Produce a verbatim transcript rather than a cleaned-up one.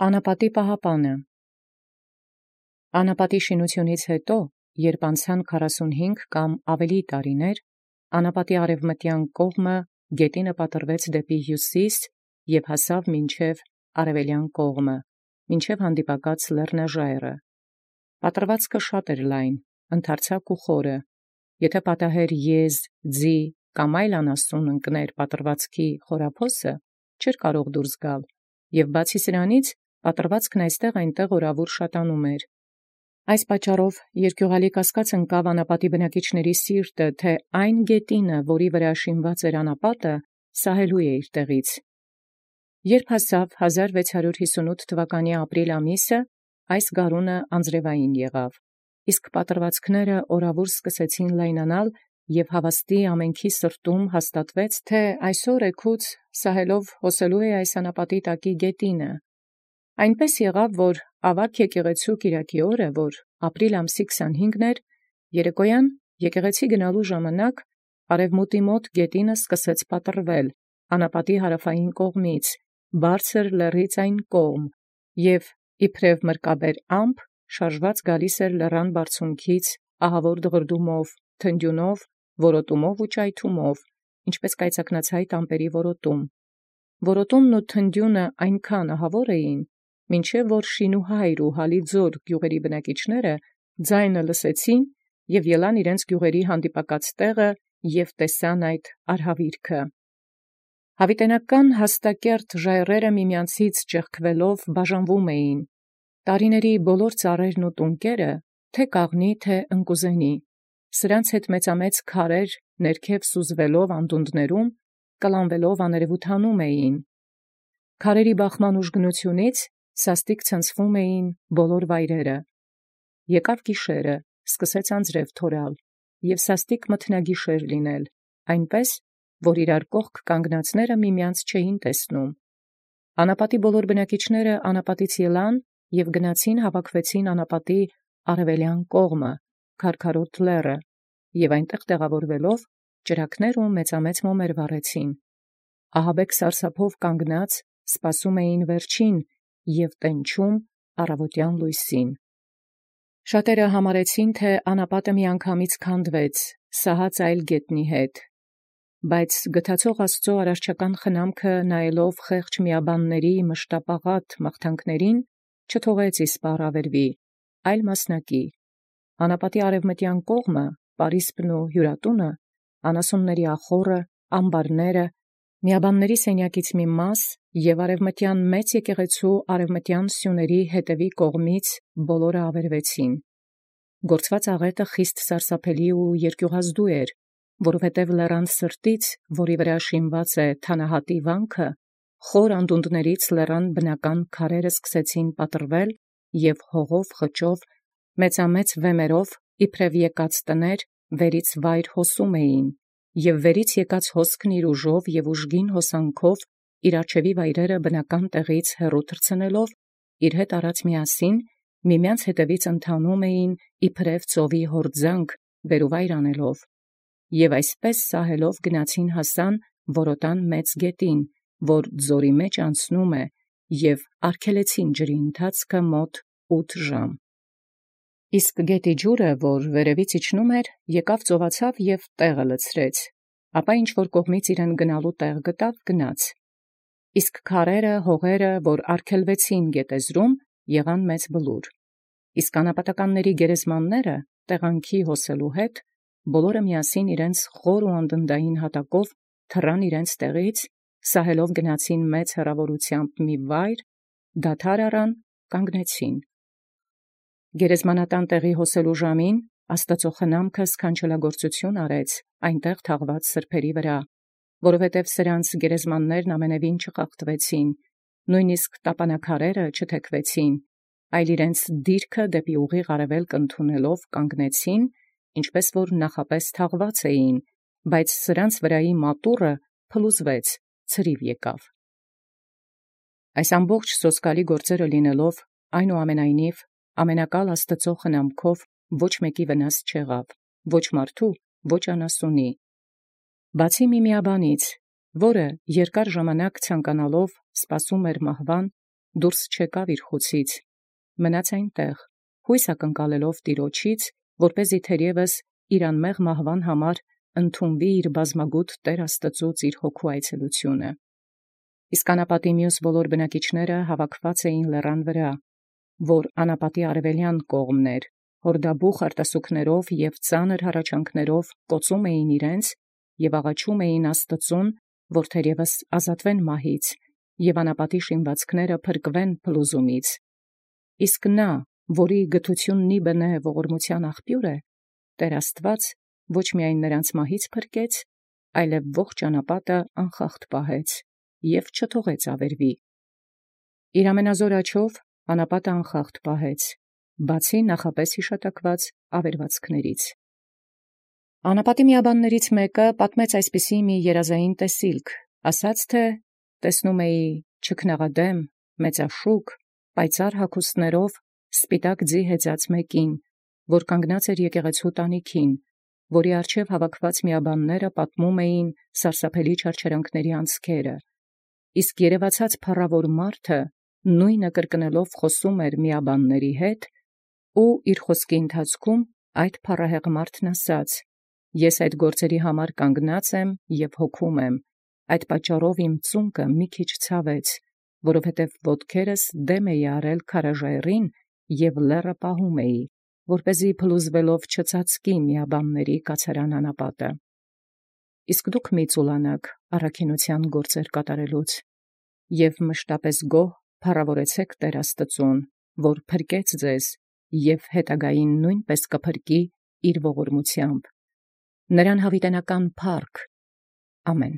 Անապատի պահապանը։ Անապատի շինութիւնից յետո, յորժամ անցան քառասունհինգ կամ ավելի տարիներ, անապատի արևմտյան կողմը գետինը պատռվեց դեպի հիւսիս և հասավ մինչև արևելյան կողմը, մինչև հանդիպակաց լեռնաժայռը. պատռվածքը շատ էր լայն, ընդարձակ ու խորը. եթէ պատահեր եզ, ձի կամ այլ անասուն ընկներ պատռվածքի խորափոսը, չէր կարող դուրս գալ, և բացի սրանից պատռվածքն այստեղ այնտեղ օրավոր շատանում էր։ Այս պատճառով երկիւղալի կասկած ընկավ անապատի բնակիչացն սիրտը, թէ այն գետինը, որի վրա շինված էր անապատը, սահելու է իր տեղից։ Երբ հասավ հազար վեց հարյուր յիսունութ թվականի ապրիլ ամիսը, այս գարունը անձրևային եղավ, իսկ պատռվածքները օրավոր սկսեցին լայնանալ, և հաւաստի ամենքի սրտում հաստատվեց, թէ այսօր էգուց սահելով հոսելու է այս անապատի տակի գետինը։ Այնպես եղավ, որ աւագ եկեղեցւոյ կիրակի օրը, որ ապրիլ ամսի քսանհինգն էր, երեկոյան եկեղեցի գնալու ժամանակ արևմուտի մոտ գետինը սկսեց պատռվել անապատի հարավային կողմից, բարձր լեռից այն կողմ, և իբրև մրկաբեր ամպ շարժված գալիս էր լեռան բարձունքից ահավոր դղրդումով, թնդիւնով, որոտումով ու ճայթումով, ինչպէս կայծակնացայտ ամպերի որոտում։ Որոտումն ու թնդիւնը այնքան ահավոր էին, մինչև որ Շինուհայր ու Հալիձոր գիւղերի բնակիչները ձայնը լսեցին և ելան իրենց գիւղերի հանդիպակաց տեղը և տեսան այդ արհավիրքը։ Յաւիտենական հաստակերտ ժայռերը միմեանցից ճեղքվելով բաժանվում էին. տարիների բոլոր ծառերն ու տունկերը, թէ կաղնի, թէ ընկուզենի, սրանց հետ մեծամեծ քարեր ներքև սուզվելով անդունդներում, կլանվելով աներևութանում էին։ Քարերի բախման ուժգնութիւնից սաստիկ ցնցվում էին բոլոր վայրերը։ Եկավ գիշերը, սկսեց անձրև թորալ, և սաստիկ մթնագիշեր լինել, այնպես, որ իրար կողք կանգնածները միմեանց չէին տեսնում։ Անապատի բոլոր բնակիչները անապատից ելան և գնացին հավաքվեցին անապատի արևելյան կողմը, քարքարոտ լեռը, և այնտեղ տեղավորվելով ճրագներ ու մեծամեծ մոմեր վառեցին։ Ահաբեկ սարսափով կանգնած սպասում էին վերջին և տենչում առավոտյան լույսին։ Շատերը համարեցին, թէ անապատը միանգամից քանդվեց, սահած այլ գետնի հետ, բայց գթացող Աստուծոյ արարչական խնամքը նայելով խեղճ միաբանացն մշտապաղատ մաղթանքներին, չթողեց իսպառ ավերուի, այլ մասնակի։ Անապատի արևմտյան կողմը, պարիսպն ու հիւրատունը, անասունների ախոռը, ամբարները, միաբանացն սենյակից մի մաս և արևմտյան մեծ եկեղեցւոյ արևմտյան սիւնքի յետևի կողմից բոլորը ավերվեցին։ Գործված աղետը խիստ սարսափելի ու երկիւղազդու էր, որովհետև լեռան սրտից, որի վրա շինված է թանահատի վանքը, խոր անդունդներից լեռան բնական քարերն սկսեցին պատռվել և հողով խճով, մեծամեծ վեմերով, իբրև եկած տներ, վերից վայր հոսում էին, և վերից եկած հոսքն իր ուժով և ուժգին հոսանքով իր առջևի վայրերը բնական տեղից հեռու թռցնելով, իր հետ առած միասին միմեանց ետևից ընթանում էին իբրև ծովի յորդզանք վերուվայր անելով, և այսպես սահելով գնացին հասան որոտան մեծ գետին, որ ձորի մեջ անցնում է, և արգելեցին ջրի ընթացքը մոտ ութ ժամ։ Իսկ գետի ջուրը, որ վերևից իջնում էր, եկավ ծովացավ և տեղը լցրեց, ապա ինչ որ կողմից իրեն գնալու տեղ գտավ, գնաց։ Իսկ քարերը, հողերը, որ արգելվեցին գետեզրում, եղան մեծ բլուր։ Իսկ անապատականների գերեզմանները տեղանքի հոսելու հետ, բոլորը միասին իրենց խոր ու անդնդային հատակով թռան իրենց տեղից, սահելով գնացին մեծ հեռավորութեամբ մի վայր, դադար առան, կանգնեցին։ Գերեզմանատան տեղի հոսելու ժամին Աստուծոյ խնամքը սքանչելագործութիւն արեց այնտեղ թաղված սրբոցն վրա, որովհետև սրանց գերեզմաններն ամենևին չխախտվեցին, նոյնիսկ տապանաքարերը չթեքվեցին, այլ իրենց դիրքը դեպի ուղիղ արևելք ընդունելով կանգնեցին, ինչպես որ նախապէս թաղված էին, բայց սրանց վրայի մատուռը փլուզվեց, ցրիվ եկավ։ Այս ամբողջ սոսկալի գործերը լինելով, այնուամենայնիվ ամենակալ Աստուծոյ խնամքով ոչ մեկի վնաս չեղավ, ոչ մարդու, ոչ անասունի։ Բացի մի միաբանից, որը երկար ժամանակ ցանկանալով սպասում էր մահվան, դուրս չեկավ իր խուցից, մնաց այնտեղ, հույս ակնկալելով Տեառնէ, որպեսզի թերևս իր անմեղ մահվան համար ընդունվի իր բազմագութ Տեր Աստուծոյ իր հոգու այցելութիւնը։ Իսկ անապատի մյուս բոլոր բնակիչները հավաքված էին լեռան վրա, որ անապատի արևելյան կողմն էր, հորդաբուխ արտասուքներով և ծանր հառաչանքներով կոծում էին իրենց և աղաչում էին Աստուծուն, որ թերևս ազատվեն մահից և անապատի շինվածքները փրկվեն փլուզումից։ Իսկ նա, որի գթութիւնն իբն է ողորմութեան աղբիւր է, Տէր Աստուած ոչ միայն նրանց մահից փրկեց, այլև ողջ անապատը անխախտ պահեց և չթողեց ավերուի։ Իր ամենազոր աջով անապատը անխախտ պահեց, բացի նախապես յիշատակված ավերվածքներից։ Անապատի միաբաններից մեկը պատմեց այսպիսի մի երազային տեսիլք, ասաց թէ՝ տեսնում էի չքնաղադեմ, մեծաշուկ, պայծառ հագուստներով սպիտակ ձի հեծած մեկին, որ կանգնած էր եկեղեցւոյ տանիքին, որի առջև հավաքված միաբանները պատմում էին սարսափելի չարչարանքների անցքերը, իսկ երևացած փառաւոր մարդը նույնը կրկնելով խոսում էր միաբանների հետ, ու իր խոսքի ընթացքում այդ փառահեղ մարդն ասաց. «Ես այդ գործերի համար կանգնած եմ և հոգում եմ, այդ պատճառով իմ ծունկը մի քիչ ցաւեց, որովհետև ոտքերս դեմ էի առել քարաժայռին և լեռը պահում էի, որպեսզի փլուզվելով չծածկի միաբանների կացարան անապատը։ Իսկ դուք մի՛ ծուլանաք առաքինութեան գործեր կատարելուց, և մշտապես գոհ փառաւորեցէք Տէր Աստուծուն, որ փրկեց ձեզ և յետագային նոյնպէս կփրկի իր ողորմութեամբ։ Նրան յաւիտենական փառք։ Ամեն։